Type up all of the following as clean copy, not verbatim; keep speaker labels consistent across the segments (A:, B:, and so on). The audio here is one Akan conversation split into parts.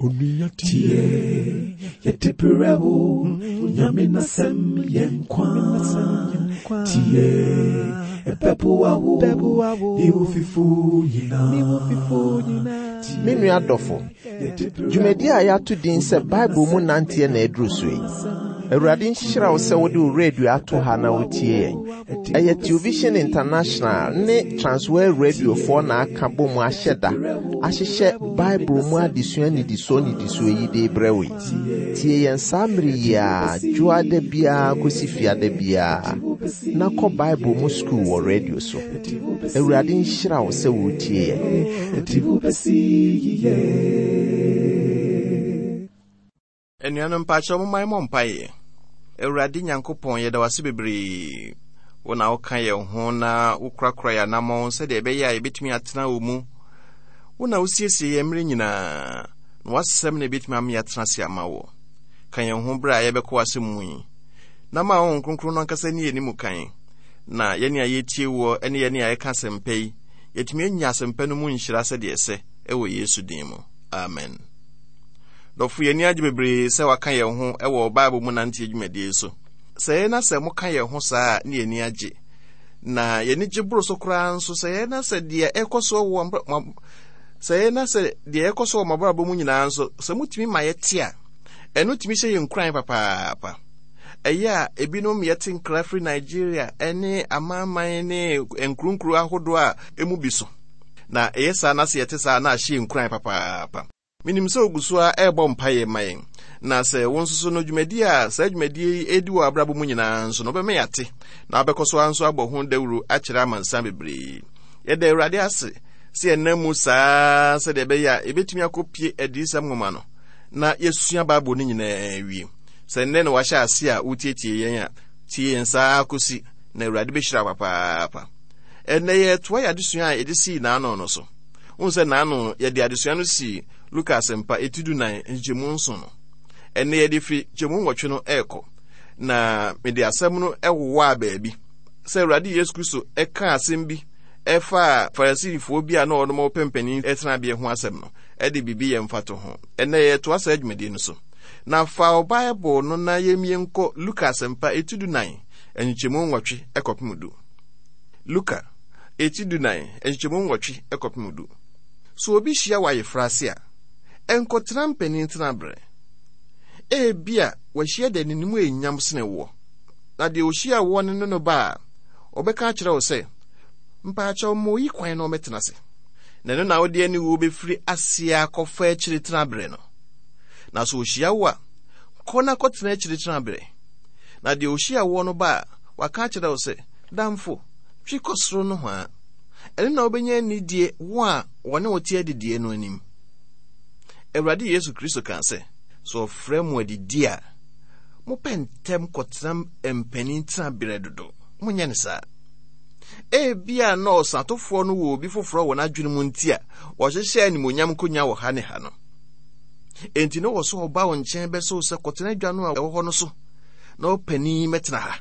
A: Onua tie, yɛde brɛ wo, Nyame n'asɛm yɛ nkwa. Tie, ɛbɛboa wo, ne wo fifo nyinaa.
B: Me nua dɔfo, dwumadi a yɛato din sɛ Bible mu nanteɛ na aduru so yi. Awurade nhyira wo sɛ wode wo radio ato ha na wotie yɛn. Ɛyɛ Television International ne Transworld Radiofoɔ na aka bɔ mu ahyɛ da ahyehyɛ Bible mu adesua nnidisoɔ nnidisoɔ yi de rebrɛ wo yi. Tie yɛn saa mmere yi ara, dwoada biara kɔsi fiada biara, na kɔ Bible mu sukuu wɔ radio so. Awurade nhyira wo sɛ woretie yɛn.
C: Anuanom mpakyɛw momma yɛmmɔ mpaeɛ. Awurade Nyankopɔn, yɛda wo ase bebree. Wo na woka yɛn ho na wokorakora yɛn anammɔn sɛdeɛ ɛbɛyɛ a yɛbɛtumi atena wo mu. Wo na wosiesie yɛn mmerɛ nyinaa, na w'asɛm na ɛbɛtumi ama yɛatena ase ama wo. Ka yɛn ho berɛ a yɛbɛkɔ w'asɛm mu yi, na ma Honhom Kronkron no ankasa nni yɛn anim kan, na yɛne a yɛtie woɔ ne yɛne a yɛka asɛmpa yi, yɛatumi anya asɛmpa no mu nhyira sɛdeɛ ɛsɛ, ɛwɔ Yesu din mu. Amen. Dɔfo, yɛn ani agye bebree sɛ waka yɛn ho wɔ Bible mu nanteɛ dwumadie yi so. Sɛ yɛn na sɛ moka yɛn ho saa a, ne yɛn ani agye. Na yɛn ani gye boro so koraa nso sɛ yɛn na sɛ deɛ ɛkɔ so wɔ sɛ yɛn na sɛ deɛ ɛkɔ so wɔ mo mu nyinaa nso, sɛ motumi ma yɛte a, ɛno tumi hyɛ yɛn nkuran papaapa. Ɛyɛ a ebinom yɛte nkra firi Nigeria ne amanaman ne nkuronkuro ahodoɔ a emu bi so. Na ɛyɛ saa na sɛ yɛte saa na ahyɛ yɛn nkuran papaapa. Menim sɛ ogu so ara rebɔ mpaeɛ ma yɛn. Na sɛ wo nso so no dwumadie a saa dwumadie yi redi wɔ abrabɔ mu nyinaa nso no, wobɛma yɛate, na wobɛkɔ so ara nso abɔ ho dawuro akyerɛ amansan bebree. Yɛda Awurade ase sɛ yɛnam mu saa sɛdeɛ ɛbɛyɛ a yɛbɛtumi akɔpie Adiyisɛm nwoma no na yɛasua Bible no nyinaa awie. Sɛ nnɛ na wahyɛ ase a wotietie yɛn a, tie yɛn saa kɔsi na Awurade bɛhyira wo papaapa. Ɛnnɛ yɛretoa yɛn adesua a yɛde sii n'ano no so. Wohu sɛ n'ano yɛde adesua no sii Luka Asɛmpa eti dunan nkyekyɛmu nson no. Ɛnnɛ yɛde fi nkyɛmu nwɔtwe no ɛrekɔ. Na mede asɛm no ɛwowaa baabi sɛ Awurade Yesu Kristo ɛka asɛm bi ɛfaa Farisifoɔ bi a na wɔnom wɔpɛ mpanin tenabea ho asɛm no ɛde biribi yɛ mfatoho. Ɛnnɛ yɛretoa saa dwumadie no so. Na fa wo Bible no na yɛmmie nkɔ Luka Asɛmpa eti dunan nkyekyɛmu nwɔtwe ɛkɔpem du. Luka Eti dunan, nkyekyɛmu nwɔtwe kɔpem du. Sɛ obi hyia wo ayeforo ase a, nkɔtena mpanin tenaberɛ. Ebia wahyia deɛ n'anim yɛ nyam sene woɔ, na deɛ ɔhyia woɔ no ne no ba a, ɔbɛka akyerɛ wo sɛ, Mpaakyɛw ma oyi kwan na ɔmmɛtena ase. Na ɛno na wode aniwuo bɛfiri aseɛ akɔfa akyire tenaberɛ no. Na sɛ ɔhyia wo a, kɔ na kɔtena akyire tenaberɛ. Na deɛ ɔhyia woɔ no ba a, waka akyerɛ wo sɛ, Damfo, twe kɔ soro nohoa. Ɛno na wobɛnya anidie wo a wɔne wo te adidie no anim. Awurade Yesu Kristo kaa sɛ, sɛ ɔfrɛ mo adidie a, mopɛ ntɛm kɔtena mpanin tenaberɛ dodo. Monyɛ no saa. Ebia na ɔsatofoɔ no wɔ obi foforɔ wɔ n'adwene mu nti a ɔhyehyɛ animuonyam nkonnwa wɔ ha ne ha no. Enti na wɔ sɛ ɔba wo nkyɛn bɛsɛ wo sɛ kɔtena adwa no a ɛwɔ hɔ no so na ɔpanin mɛtena ha.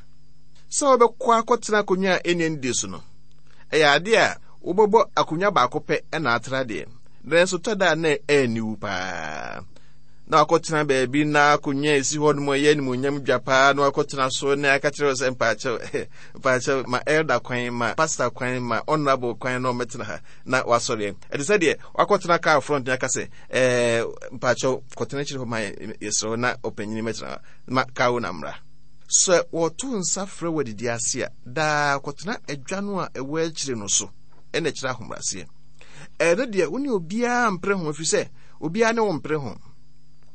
C: Sɛ wobɛkɔ akɔtena akonnwa a ɛnni anidie so no, ɛyɛ ade a wobɛbɔ akonnwa baako pɛ na atra deɛ, nanso tɔ da a na ɛyɛ paa. Na wakɔtena baabi na akonnwa a ɛsi hɔ nom ɛyɛ animuonyam dwa paa na wakɔtena so na aka kyerɛ wo sɛ mpaakyɛw mpaakyɛw ma elder kwan ma pastor kwan ma honorable kwan na ɔmmɛtena ha na wasɔre. Ɛte sɛ deɛ wakɔtena car front na aka sɛ ɛɛ mpaakyɛw kɔtena akyire hɔ ma yɛsrɛ na ɔpanyin mɛtena ha ma car wo na mmra. Sɛ wɔto nsa frɛ wo adidi ase a, daa kɔtena adwa no a ɛwɔ akyire no so, ɛna ɛkyerɛ ahobrɛaseɛ. Ɛno deɛ, wo ne obiara mpere ho, ɛfiri sɛ obiara ne wo mpere ho.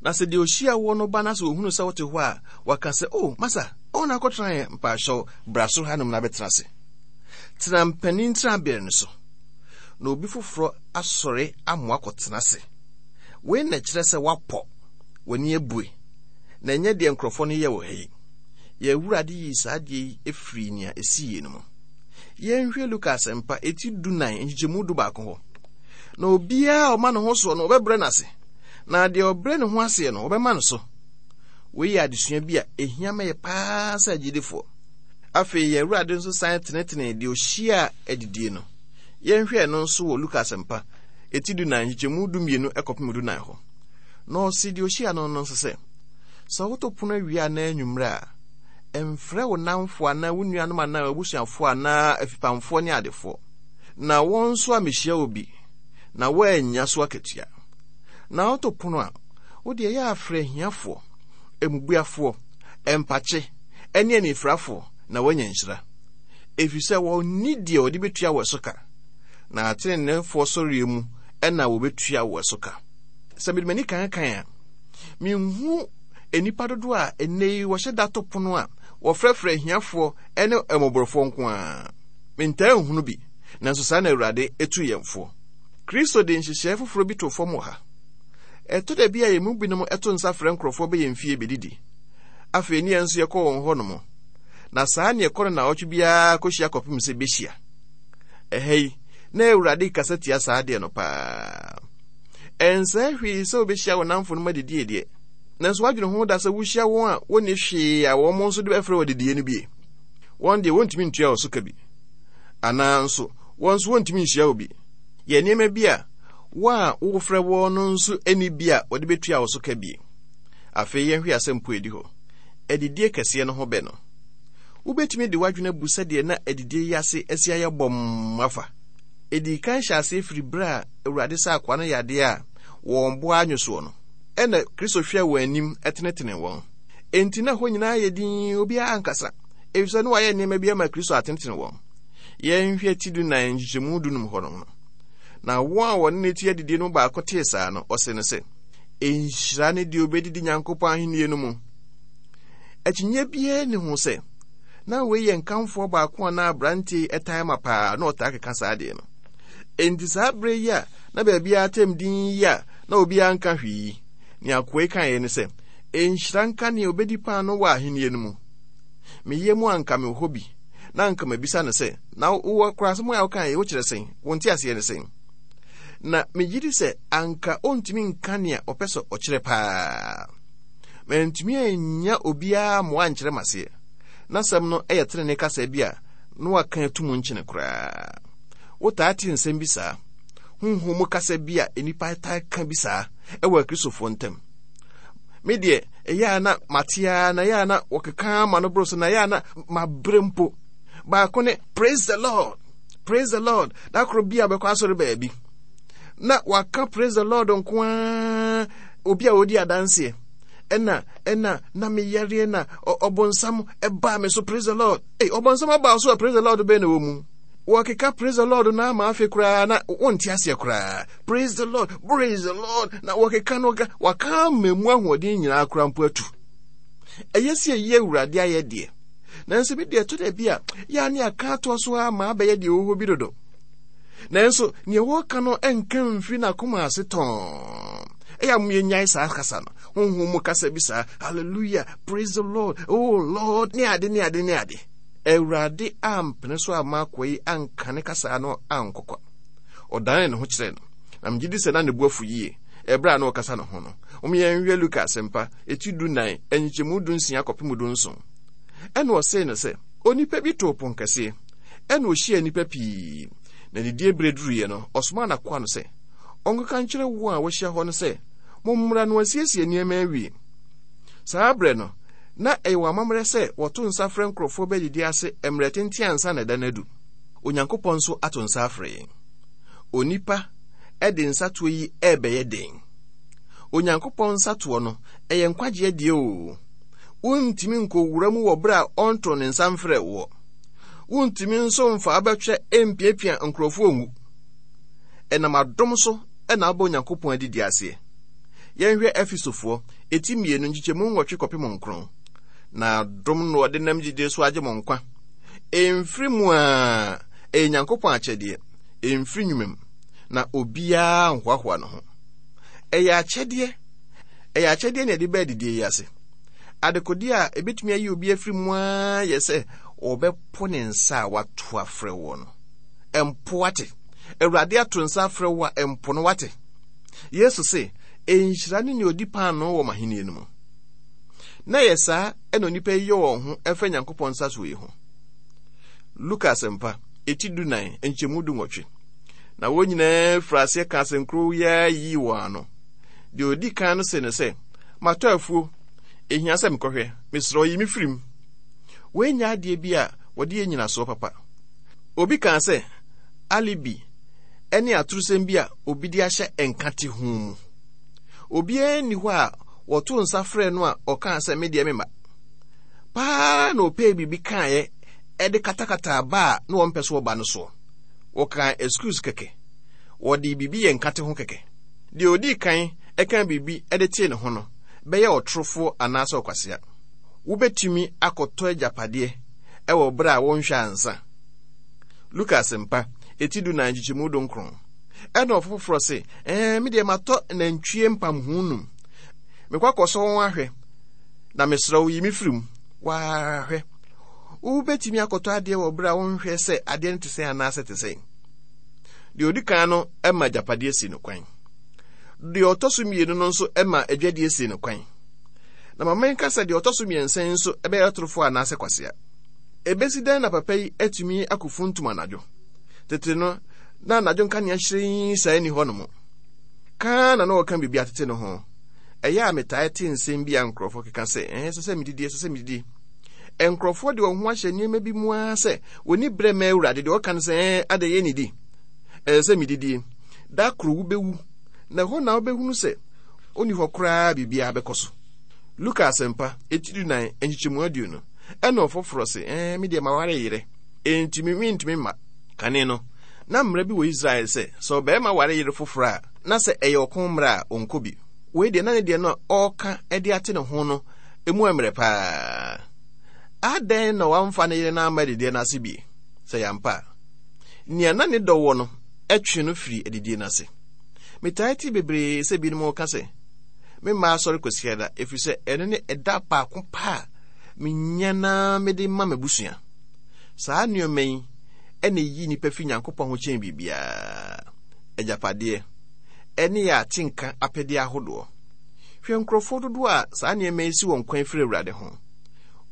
C: Na sɛ deɛ ɔhyia woɔ no ba na sɛ ɔhunu sɛ wote hɔ a, waka sɛ, O, masa, ɔwo na akɔtena yɛn mpaahyɛw, bra soro hanom na bɛtena ase. Tena mpanin tenaberɛ no so, na obi foforɔ asɔre amoa kɔtena ase. Wei na ɛkyerɛ sɛ woapɔ, w'ani abue. Na ɛnyɛ deɛ nkurɔfoɔ no yɛ wɔ ha yi. Yɛn Awurade yii saa adeɛ yi firii nea ɛsiiɛ no mu. Yɛnhwɛ Luka Asɛmpa, eti dunan, nkyekyɛmu dubaako hɔ. Na obiara a ɔma ne ho soɔ no, wɔbɛbrɛ no ase, na deɛ ɔbrɛ ne ho aseɛ no, wɔbɛma no so. Wei yɛ adesua bi a ɛhia ma yɛ paa sɛ agyidifoɔ. Afei yɛn Awurade nso san tenetenee deɛ ɔhyiaa adidie no. Yɛnhwɛ ɛno nso wɔ Luka Asɛmpa, eti dunan, nkyekyɛmu dumienu kɔpem dunan hɔ. Na ɔse deɛ ɔhyia no no nso sɛ, Sɛ woto pono awia anaa anwummerɛ a, mfrɛ wo nnamfo anaa wo nuanom anaa w'abusuafoɔ anaa afipamfoɔ ne adefoɔ, na wɔn nso ammɛhyia wo bi, na woannya so akatua. Na woto pono a, wo deɛ yɛ a frɛ ahiafoɔ, mmubuafoɔ, mpakye, ne anifirafoɔ, na woanya nhyira. Ɛfiri sɛ wɔnni deɛ wɔde bɛtua wo ɛso ka, na ateneneefoɔ sɔreɛ mu na wɔbɛtua wo ɛso ka. Sɛ mede m'ani kankan a, menhu nnipa dodoɔ a ɛnnɛ yi wɔhyɛ da to pono a wɔfrɛfrɛ ahiafoɔ ne mmɔborɔfoɔ nko ara. Mentaa nhunu bi, nanso saa na Awurade tu yɛn foɔ. Kristo de nhyehyɛe foforɔ bi too fam wɔ ha. Ɛtɔ da bi a yɛn mu binom to nsa frɛ nkurɔfoɔ bɛ yɛn fie bɛdidi. Afei ne yɛn nso yɛkɔ wɔn hɔnom. Na saa ne ɛkɔ no naawɔtwe biara kɔhyia kɔpem sɛ bɛhyia. Ɛha yi, na Awurade kasa tia saa adeɛ no paa. Ɛnsɛe hwee sɛ wobɛhyia wo nnamfonom adidie deɛ, nanso woadwene ho da sɛ wohyia wɔn a wɔnni hwee a wɔn nso de bɛfrɛ wɔ adidie no bie. Wɔn deɛ wɔntumi ntua wo so ka bi. Anaa nso, wɔn nso wɔntumi nhyia wo bi. Yɛ nneɛma bi a wɔn a wofrɛ wɔn no nso nni bi a wɔde bɛtua wo so ka bie. Afei yɛnhwɛ asɛmpo a ɛdi hɔ, adidie kɛseɛ no ho bɛ no. Wobɛtumi de w'adwene abu sɛdeɛ na adidie yi ase asi ayɛ bɔmm afa. Ɛdii kan hyɛɛ aseɛ firi berɛ a Awurade saa akoa no yadeɛ a wɔn bo anwo soɔ no. Ɛnna Kristo hwɛɛ wɔn anim tenetenee wɔn. Enti na hɔ nyinaa yɛ dinn, obiara ankasa, efisɛ na wɔayɛ nneɛma bi ama Kristo atenetene wɔn. Yɛnhwɛ ti dunan nkyekyɛmu dunum hɔnom no. Na wɔn a wɔne no te adidie no mu baako tee saa no, ɔse no sɛ, Nhyira ne deɛ obɛdidi Nyankopɔn ahennie no mu. Akyinnyeɛ biara nni ho sɛ, na wei yɛ nkamfoɔ baako a na aberanteɛ yi taa ma paa na ɔtaa keka saa adeɛ no. Enti saa berɛ yi a na baabiara tɛm dinn yi a na obiara nka hwee yi, nea akoa yi kaeɛ ne sɛ, Nhyira nka nea obɛdi paano wɔ ahennie no mu. Me yam anka mewɔ hɔ bi, na anka mabisa no sɛ, na wowɔ koraa asɛm a wokaeɛ yi, wokyerɛ sɛn? Wo nteaseɛ ne sɛn? Na megye di sɛ anka ɔntumi nka nea ɔpɛ sɛ ɔkyerɛ paa. Mantumi annya obiara mmoa ankyerɛ m'aseɛ. N'asɛm no yɛ tenenee kasa bi a na waka atum nkyene koraa. Wotaa te nsɛm bi saa, honhom mu kasa bi a nnipa taa ka bi saa wɔ Akristofoɔ ntam. Me deɛ, ɛyɛ a na mate ara na ɛyɛ a na wɔkeka ma no boro so na ɛyɛ a na mabrɛ mpo. Baako ne praise the Lord, praise the Lord. Da koro bi a bɛkɔ asɔre baabi na waka praise the Lord nko ara obi a ɔdi adanseɛ ɛna ɛna na meyareɛ na ɔbonsam ɛbaa me so praise the Lord. Ei, ɔbonsam abaa so a praise the Lord bɛn na wɔ mu. Wɔkeka praise the Lord na ama afe koraa na wonte aseɛ koraa. Praise the Lord, praise the Lord na wɔkeka no waka ama mu ahoɔden nyinaa koraa mpo atu. Ɛyɛ sɛ ɛyi Awurade ayɛ deɛ. Nanso bi deɛ ɛtɔ da bi a yɛ ne aka atoa so ara ma abɛyɛ deɛ ɛwɔ hɔ bi dodo. Nanso nea wɔka no nka mfiri n'akoma ase tɔn. Ɛyɛ a yɛnyae saa kasa no, honhom mu kasa bi saa, hallelujah, praise the Lord, oh Lord, ne ade ne ade ne ade. Awurade ampene so amma akoa yi anka ne kasa no ankɔ kwa. Ɔdanee ne ho kyerɛɛ no, na megye di sɛ na ne bo afu yie ɛberɛ a na ɔkasa ne ho no. Mom yɛnhwɛ Luka Asɛmpa, eti dunan, nkyekyɛmu dunsia kɔpem dunson. Ɛna ɔsee no sɛ, Onipa bi too ponkɛseɛ, ɛna ɔhyiaa nnipa pii, na didie berɛ duruiɛ no, ɔsomaa n'akoa no sɛ, ɔnkɔka nkyerɛ wɔn a wɔahyia hɔ no sɛ, Mommra na wɔasiesie nneɛma awie. Saa berɛ no, na ɛyɛ wɔn amammerɛ sɛ wɔto nsa frɛ nkurɔfoɔ ba adidie ase mmerɛ tenten ansa na ɛda no adu. Onyankopɔn nso ato nsa afrɛ yɛn. Onipa de nsatoɔ yi rebɛyɛ dɛn? Onyankopɔn nsatoɔ no, ɛyɛ nkwagyeɛ deɛ oo. Wontumi nkɔwura mu wɔ berɛ a ɔntoo ne nsa mfrɛɛ woɔ. Wontumi nso mfa abɛtwɛ mpiapia nkurɔfoɔ nwu. Ɛnam adom so na abɔ Onyankopɔn adidi aseɛ. Yɛnhwɛ Efesofoɔ, eti mmienu, nkyekyɛmu nwɔtwe kɔpem nkron. Na adom na ɔde nam gyidie so agye mo nkwa. Ɛmfiri mu a, ɛyɛ Nyankopɔn akyɛdeɛ, ɛmfiri nnwuma mu, na obiara nhoahoa ne ho. Ɛyɛ akyɛdeɛ, ɛyɛ akyɛdeɛ na ɛde ba adidie yi ase. Adekodeɛ a ɛbɛtumi ayi obi afiri mu ara yɛ sɛ ɔbɛpo ne nsa a wato afrɛ woɔ no. Ɛmpo wate. Awurade ato nsa afrɛ wo a, ɛmpo no wate. Yesu se, Nhyira ne nea odi paanoo wɔ m'ahenni no mu. Na ɛyɛ saa na onipa yi yɛ wɔn ho ɛfa Nyankopɔn nsasoɔ yi ho. Luka Asɛmpa, eti dunan, nkyɛmu dunwɔtwe. Na wɔn nyinaa firi aseɛ ka asɛnkoro yi ara yii wɔn ano. Deɛ ɔdi kan no see no sɛ, Matɔ afuo, ɛhia sɛ mekɔhwɛ, mesrɛ wo yi me firi mu. Wei nyɛ adeɛ bi a wɔde yɛ nnyinasoɔ papa. Obi kaa sɛ, Alibi ne atorosɛm bi a obi de ahyɛ nkate ho mu. Obiara nni hɔ a wɔtoo nsa frɛɛ no a ɔkaa sɛ me deɛ memma. Paa na ɔpɛɛ biribi kaeɛ de katakataa ba a na wɔmpɛ so ɔba no soɔ. Wɔkaa excuse kɛkɛ. Wɔde biribi yɛ nkate ho kɛkɛ. Deɛ ɔdii kan kaa biribi de tee ne ho no bɛyɛ ɔtorofoɔ anaasɛ ɔkwasea. Wobɛtumi akɔtɔ agyapadeɛ wɔ berɛ a wonhwɛ ansa. Luka Asɛmpa, eti dunan nkyekyɛmu dunkron. Ɛna ɔfoforɔ se, Ɛɛ, me deɛ matɔ nantwie mpamho num. Mekɔ akɔsɔ wɔn ahwɛ, na mesrɛ wo yi me firi mu. Waa hwɛ. Wobɛtumi akɔtɔ adeɛ wɔ berɛ a wonhwɛ sɛ adeɛ no te sɛn anaasɛ te sɛn. Deɛ ɔdi kan no ma agyapadeɛ si no kwan. Deɛ ɔtɔ so mmienu no nso ma adwadie si no kwan. Na ma menka sɛ deɛ ɔtɔ so mmiɛnsa yi nso bɛyɛ ɔtorofoɔ anaasɛ kwasea. Ebesi dɛn na papa yi atumi akofuntum anadwo? Tete no, na anadwo nkanea hyerɛnn saa nni hɔnom. Ka na na ɔka biribi atete ne ho. Ɛyɛ a metaa te nsɛm bi a nkurɔfoɔ keka sɛ, ɛɛ, ɛsɛ sɛ medidi, ɛsɛ sɛ medidi. Nkurɔfoɔ de wɔn ho ahyɛ nneɛma bi mu ara sɛ wɔni berɛ ma Awurade. Deɛ ɔka no sɛ, ɛɛ, adɛn yɛ nidi? Ɛsɛ sɛ medidie. Da koro wobɛwu, na ɛhɔ na wobɛhunu sɛ onni hɔ koraa biribiara bɛkɔ so. Luka Asɛmpa, eti dunan, nkyekyɛmu aduonu. Ɛna ɔfoforɔ se, Ɛɛ, me deɛ maware yerɛ, enti me mentumi mma. Kane no, na mmara bi wɔ Israel sɛ, sɛ ɔbarima ware yere foforɔ a, na sɛ ɛyɛ ɔko mmara a, ɔnkɔ bi. Wei deɛ, na ne deɛ no a ɔreka de ate ne ho no, emu mmerɛ paa. Adɛn na wamfa ne yere no amma adidie no ase bi? Sɛ ɛyɛ ampa a, nea na ne dɔ wɔ no twe no firi adidie no ase. Metaa te bebree sɛ binom reka sɛ, Memma asɔre Kwasiada, ɛfiri sɛ ɛno ne ɛda baako pɛ a menya na mede ma m'abusua. Saa nneɛma yi na ɛyi nnipa fi Nyankopɔn ho kyɛn biribiara. Agyapadeɛ ne yɛ atenka apɛdeɛ ahodoɔ. Hwɛ nkurɔfoɔ dodoɔ a saa nneɛma yi si wɔn kwan firi Awurade ho.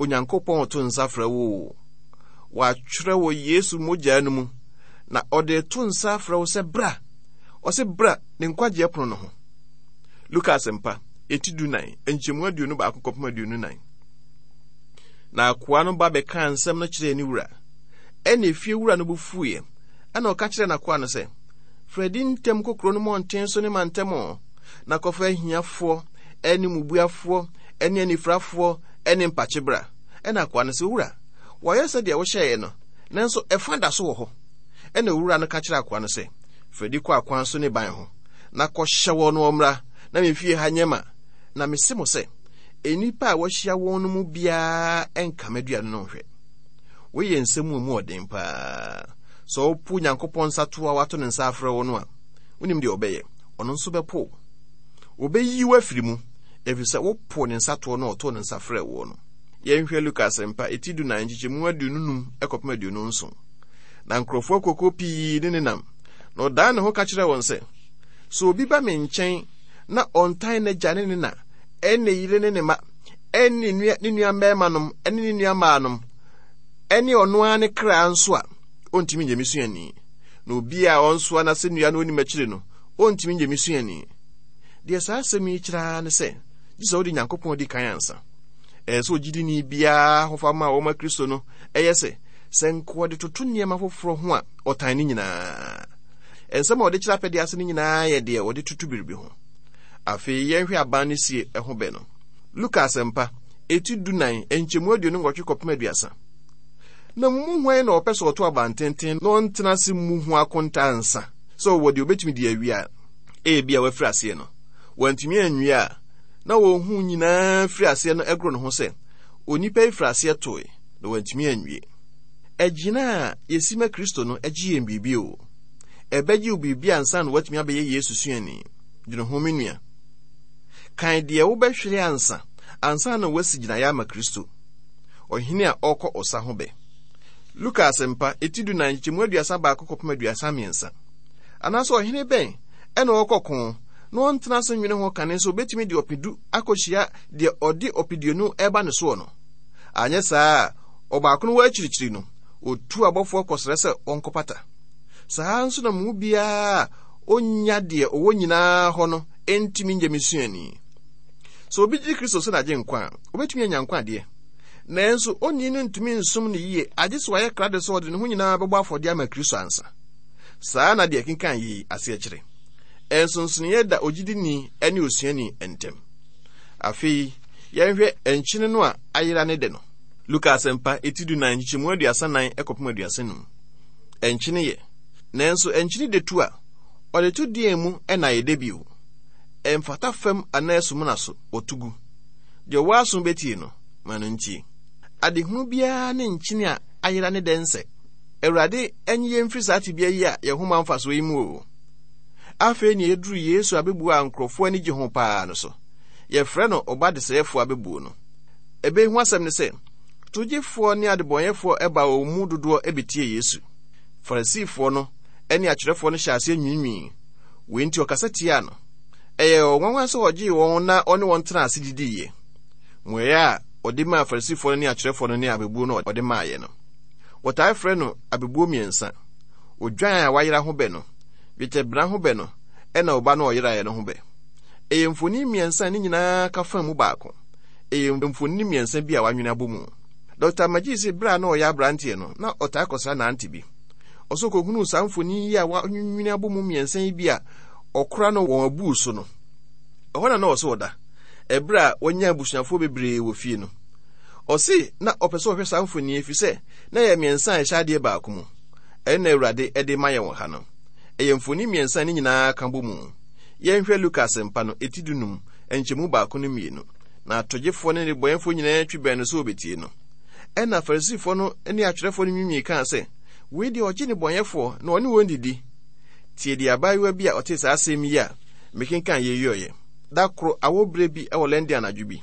C: Onyankopɔn reto nsa frɛ wo o. Wɔatwerɛ wɔ Yesu mogya no mu, na ɔde reto nsa afrɛ wo sɛ bra. Ɔse bra ne nkwagyeɛ pono no ho. Luka Asɛmpa, eti dunan, nkyɛmu 21 kɔpem 24. Na akoa no ba bɛkaa nsɛm no kyerɛɛ ne wura. Ɛnna efie wura no bo fuiɛ, ɛnna ɔka kyerɛɛ n'akoa no sɛ, Firi adi ntɛm kɔ kuro no mmɔnten so ne mantam, na kɔfa ahiafoɔ ne mmubuafoɔ ne anifirafoɔ ne mpakye bra. Ɛnna akoa no sɛ, Owura, wɔayɛ sɛdeɛ wohyɛeɛ no, nanso ɛfa da so wɔ hɔ. Ɛnna owura no ka kyerɛɛ akoa no sɛ, Firi adi kɔ akwan so ne ban ho, na kɔhyɛ wɔn wɔmmra, na me fie ha nyɛ ma. Na mise mo sɛ, nnipa a wɔahyia wɔn no mu biara nka m'aduane no nhwɛ. Wei yɛ nsɛm mu emu ɔden paa. Sɛ wopo Nyankopɔn nsato a wato ne nsa afrɛ wo no a, wonim deɛ ɔbɛyɛ? Ɔno nso bɛpo wo. Ɔbɛyi wo afiri mu, ɛfiri sɛ wopo ne nsatoɔ no a ɔtoo ne nsa frɛɛ woɔ no. Yɛnhwɛ Luka Asɛmpa, eti dunan, nkyekyɛmu 25 kɔpem 27. Na nkurɔfoɔ akuokuo pii ne ne nam, na ɔdan ne ho ka kyerɛɛ wɔn sɛ, Sɛ obi ba me nkyɛn na ɔntan n'agya ne ne na, ne ne yere ne ne mma, ne ne nua ne nua mmarimanom ne ne nua mmaanom, ne ɔno ara ne kra nso a, ɔntumi nyɛ me suani. Na obi a ɔnsoa n'asɛnnua na ɔnni m'akyiri no, ɔntumi nyɛ me suani. Deɛ saa asɛm yi kyerɛ ara ne sɛ, gye sɛ wode Nyankopɔn di kan ansa. Ɛyɛ sɛ ogyidini biara ahofama a wɔma Kristo no yɛ sɛ, sɛ nka ɔde toto nneɛma foforɔ ho a, ɔtan ne nyinaa. Nsɛm a ɔde kyerɛ apɛdeɛ ase no nyinaa yɛ deɛ ɔde toto biribi ho. Afei yɛnhwɛ aban no sie ho bɛ no. Luka Asɛmpa, eti dunan, nkyɛmu 28 kɔpem 30. Na mo mu hwan na ɔpɛ sɛ ɔto abantenten na ɔntena ase mmu ho akonta ansa sɛ ɔwɔ deɛ obetumi de awie a? Ebia wafiri aseɛ no, wantumi anwie a, na wɔn nyinaa firi aseɛ no goro ne ho sɛ, Onipa yi firi aseɛ toe, na wantumi anwie. Agyina a yɛsi ma Kristo no gye yɛn biribi o. Ɛbɛgye wo biribi ansa na woatumi abɛyɛ Yesu suani. Dwene ho, me nua. Kan deɛ wobɛhwere ansa, ansa na woasi gyinaeɛ ama Kristo. Ɔhene a ɔrekɔ ɔsa ho bɛ. Luka Asɛmpa, eti dunan, nkyekyɛmu 31 kɔpem 33. Anaasɛ ɔhene bɛn ɛna ɔrekɔ ko na ɔntena ase nwene ho kane sɛ obetumi de ɔpedu akɔhyia deɛ ɔde ɔpeduonu ɛreba ne soɔ no? Anyɛ saa a, ɔbaako no wɔ akyirikyiri no, otu abɔfoɔ kɔsrɛ sɛ wɔnkɔpata. Saa ara nso na mo mu biara a onnya deɛ ɔwɔ nyinaa hɔ no ntumi nyɛ me suani. Sɛ obi gye Kristo sɛ n'agyenkwa a, obetumi anya nkwa deɛ. Nanso onii no ntumi nsom no yie agye sɛ wayɛ krado sɛ ɔde ne ho nyinaa bɛbɔ afɔdeɛ ama Kristo ansa. Saa na deɛ ɛkenkan yi aseɛ kyerɛ. Nsonsonoeɛ da ogyidini ne osuani ntam. Afei, yɛnhwɛ nkyene no a ayera ne de no. Luka Asɛmpa, eti dunan, nkyekyɛmu 34 kɔpem 35. Nkyene yɛ. Nanso nkyene de tu a, ɔde to deɛn mu na ayɛ dɛ bio? Ɛmfata fam anaa sumina so, wɔto gu. Deɛ ɔwɔ aso bɛtie no, ma no ntie. Adehunu biara ne nkyene a ayera ne dɛ nsɛ. Awurade nye yɛn mfiri saa tebea yi a yɛn ho ma mfasoɔ yi mu o. Afei nea yɛduru Yesu abebuo a nkurɔfoɔ ani gye ho paa no so. Yɛfrɛ no ɔba desɛefoɔ abebuo no. Ɛbɛ yi ho asɛm ne sɛ, togyefoɔ ne adebɔnyɛfoɔ baa wɔn mu dodoɔ bɛtiee Yesu. Farisifoɔ no ne atwerɛfoɔ no hyɛɛ aseɛ nwiinwii. Wei nti ɔkasa tiaa no. Ɛyɛɛ wɔn nwanwa sɛ ɔgyee wɔn na ɔne wɔn tenaa ase didiiɛ. Mmuaeɛ a ɔde maa Farisifoɔ no ne atwerɛfoɔ no ne abebuo no a ɔde maeɛ no. Wɔtaa frɛ no abebuo mmiɛnsa, odwan a wayera ho bɛ no, dwetɛbena ho bɛ no, ɛna ɔba no a ɔyeraeɛ no ho bɛ. Ɛyɛ mfoni mmiɛnsa a ne nyinaa ka fa mu baako. Ɛyɛ mfonini mmiɛnsa bi a wɔanwene abɔ mu. Dɔkta Magee se bere a na ɔyɛ aberanteɛ no, na ɔtaa kɔsra n'ante bi. Ɔsɛ ɔkɔhunuu saa mfonini yi a wɔanwene abɔ mu mmiɛnsa yi bi a ɔkora no wɔn abuu so no. Ɛhɔ na na ɔsɛ ɔda, ɛberɛ a wanya abusuafoɔ bebree wɔ fie no. Ɔse na ɔpɛ sɛ ɔhwɛ saa mfonini ɛfiri sɛ na ɛyɛ mmiɛnsa a ɛhyɛ adeɛ baako mu. Ɛno na Awurade de ma yɛn wɔ ha no. Ɛyɛ mfonini mmiɛnsa a ne nyinaa ka bɔ mu. Yɛnhwɛ Luka Asɛmpa no, eti dunum, nkyɛmu baako ne mmienu. Na atogyefoɔ ne nnebɔneyɛfoɔ nyinaa twi bɛn no sɛ wɔbɛtie no. Ɛnna Farisifoɔ no ne atwerɛfoɔ no nwiinwii kaa sɛ, Wei deɛ ɔgye nnebɔneyɛfoɔ na ɔne wɔn didi. Tie deɛ abaayewa bi a ɔtee saa asɛm yi a mekenkan yei yɔeɛ. Da koro awɔ berɛ bi wɔ London anadwo bi,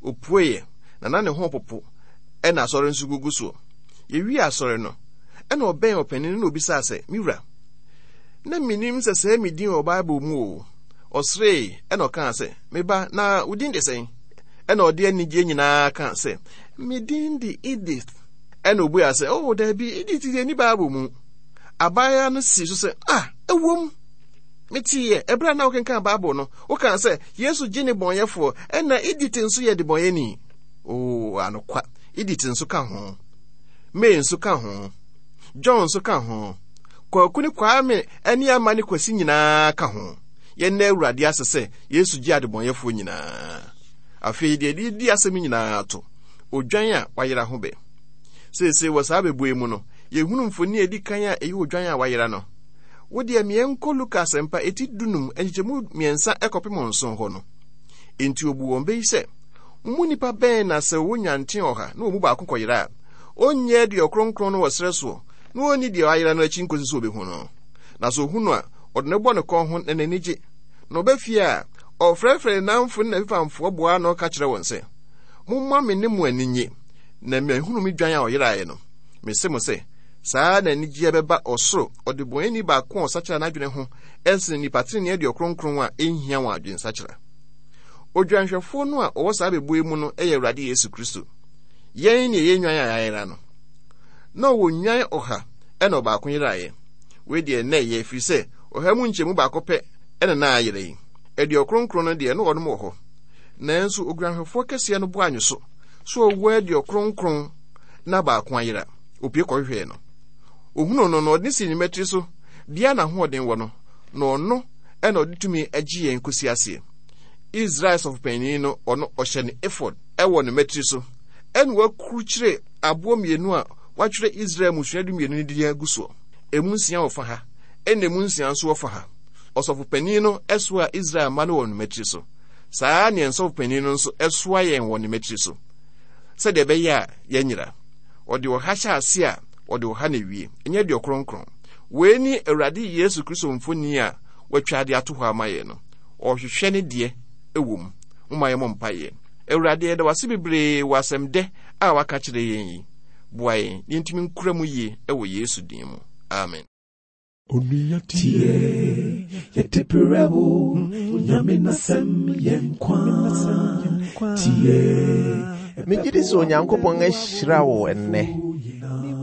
C: ɔpueeɛ, na na ne ho repopo ɛna asɔre nso gugu soɔ. Yɛwiee asɔre no, ɛna ɔbɛn ɔpanin no na ɔbisaa sɛ, Me wura, na mennim sɛ sɛɛ me din wɔ Bible mu o. Ɔseree ɛna ɔkaa sɛ, Me ba, na wo din de sɛn? Ɛna ɔde anigyeɛ nyinaa kaa sɛ, Me din de Edith. Ɛna ɔbuaa sɛ, Oh, daabi, Edith deɛ nni Bible mu. Abaayewa no sii so sɛ, Ah, ɛwom. Meteeɛ, ɛberɛ a na wokenkan Bible no, wokaa sɛ, Yesu gye nnebɔneyɛfoɔ, ɛna Edith nso yɛ debɔneyɛni. Oh, anokwa, Edith nso ka ho. May nso ka ho. John nso ka ho. Kwaku ne Kwame ne Ama ne Kwasi nyinaa ka ho. Yɛnna Awurade ase sɛ Yesu gye adebɔnyɛfoɔ nyinaa. Afei deɛ ɛde di asɛm nyinaa to, odwan a wayera ho bɛ. Seesei wɔ saa bɛbue mu no, yɛhunu mfoni a ɛdi kan a ɛyɛ odwan a wayera no. Wo deɛ meɛnkɔ Luka asɛmpa eti dunum nkyekyɛmu mmiɛnsa kɔpem nson hɔ no. Enti ɔbu wɔn bɛ yi sɛ, Mo mu nipa bɛn na sɛ ɔwɔ nnwanten ɔha na wɔn mu baako kɔyera a, ɔnyɛ aduɔkronkron no wɔ serɛ soɔ na ɔnni deɛ wayera no akyi nkɔsi sɛ ɔbɛhu no? Na sɛ ɔhu no a, ɔde no bɔ ne kɔn ho na n'ani gye. Na ɔba fie a, ɔfrɛfrɛ ne nnamfo ne n'afipamfoɔ boa ano ka kyerɛ wɔn sɛ, Momma me ne mo ani nnye, na mahunu me dwan a ɔyeraeɛ no. Mese mo sɛ, saa ara na anigyeɛ bɛba ɔsoro ɔdebɔneyɛni baako a ɔsakyera n'adwene ho sene nnipa tenenee aduɔkronkron a ɛnhia wɔn adwensakyera. Odwanhwɛfoɔ no a ɔwɔ saa bɛbuo yi mu no yɛ Awurade Yesu Kristo. Yɛn ne ɛyɛ nnwan a yɛayera no. Na ɔwɔ nnwan ɔha ɛna ɔbaako yeraeɛ. Wei deɛ na ɛyɛ ɛfiri sɛ ɔha mu nkyɛmu baako pɛ ɛna na ayera yi. Aduɔkronkron no deɛ na wɔnom wɔ hɔ. Nanso odwanhwɛfoɔ kɛseɛ no bo anwo so so ɔwɔ aduɔkronkron na baako ayera. Opue kɔhwehwɛɛ no. Ohunuu no no, ɔde no sii ne mmatiri so, bea a n'ahoɔden wɔ no, na ɔno na ɔde tumi gye yɛn kosi aseɛ. Israel sɔfopanyin no, ɔno ɔhyɛ ne efod wɔ ne mmatiri so, ɛna wakurukyire aboɔ mmienu a wɔatwerɛ Israel mmusua dumienu no din agu soɔ. Emu nsia wɔ fa ha, ɛna emu nsia nso wɔ fa ha. Ɔsɔfopanyin no soaa Israel mma no wɔ ne mmatiri so. Saa ara na yɛn sɔfopanyin no nso soa yɛn wɔ ne mmatiri so, sɛdeɛ ɛbɛyɛ a yɛnyera. Ɔde ɔha hyɛ ase a, ɔde ɔha na ewie. Ɛnyɛ aduɔkronkron. Wei ne Awurade Yesu Kristo mfoni a watwa de ato hɔ ama yɛn no. Ɔrehwehwɛ ne deɛ wɔ mu. Momma yɛmmɔ mpaeɛ. Awurade, yɛda wo ase bebree wɔ asɛm dɛ a waka kyerɛ yɛn yi. Boa yɛn na yɛntumi nkura mu yie wɔ Yesu din mu. Amen.
A: Onua tie, yɛde brɛ wo, Onyame n'asɛm yɛ nkwa. Tie.
B: Megye di sɛ Onyankopɔn ahyira wo ɛnnɛ.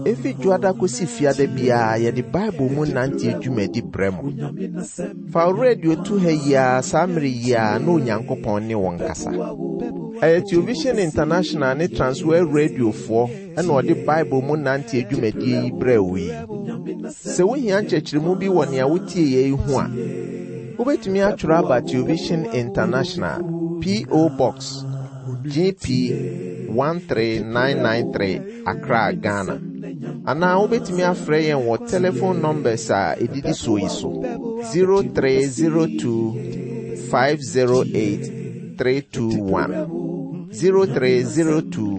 B: Efi dwoada kosi fiada biara yɛde Bible mu nante dwumadi brɛ mo. Fa wo radio to ha yi ara saa mmere yi ara na Onyankopɔn ne wo nkasa. Ɛyɛ Television International ne Transworld Radiofoɔ ɛna ɔde Bible mu nante dwumadie yi brɛ wo yi. Sɛ wohia nkyerɛkyerɛmu bi wɔ nea wotie yɛ yi ho a, wobɛtumi atwerɛ aba Television International, P.O. Box, GP 13993, Accra, Ghana. Anaa wobɛtumi afrɛ yɛn wɔ telephone numbers a ɛdidi soɔ yi so 0302 508 321 0302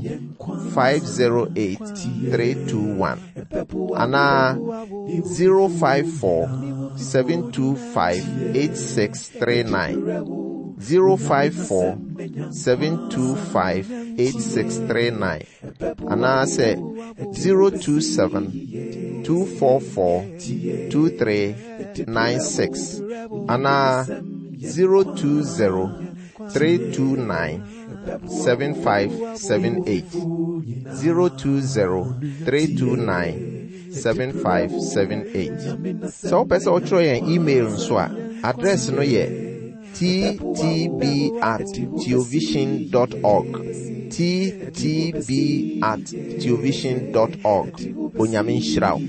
B: 508 321 anaa 054 725 8639 054 725 8639 anaasɛ 027 244 2396 anaa 020 329 7578 020 329 7578. Sɛ wopɛ sɛ wotwerɛ yɛn email nso a, address no yɛ ttb at theovision dot org. ttb at theovision dot org. Onyame nhyira wo.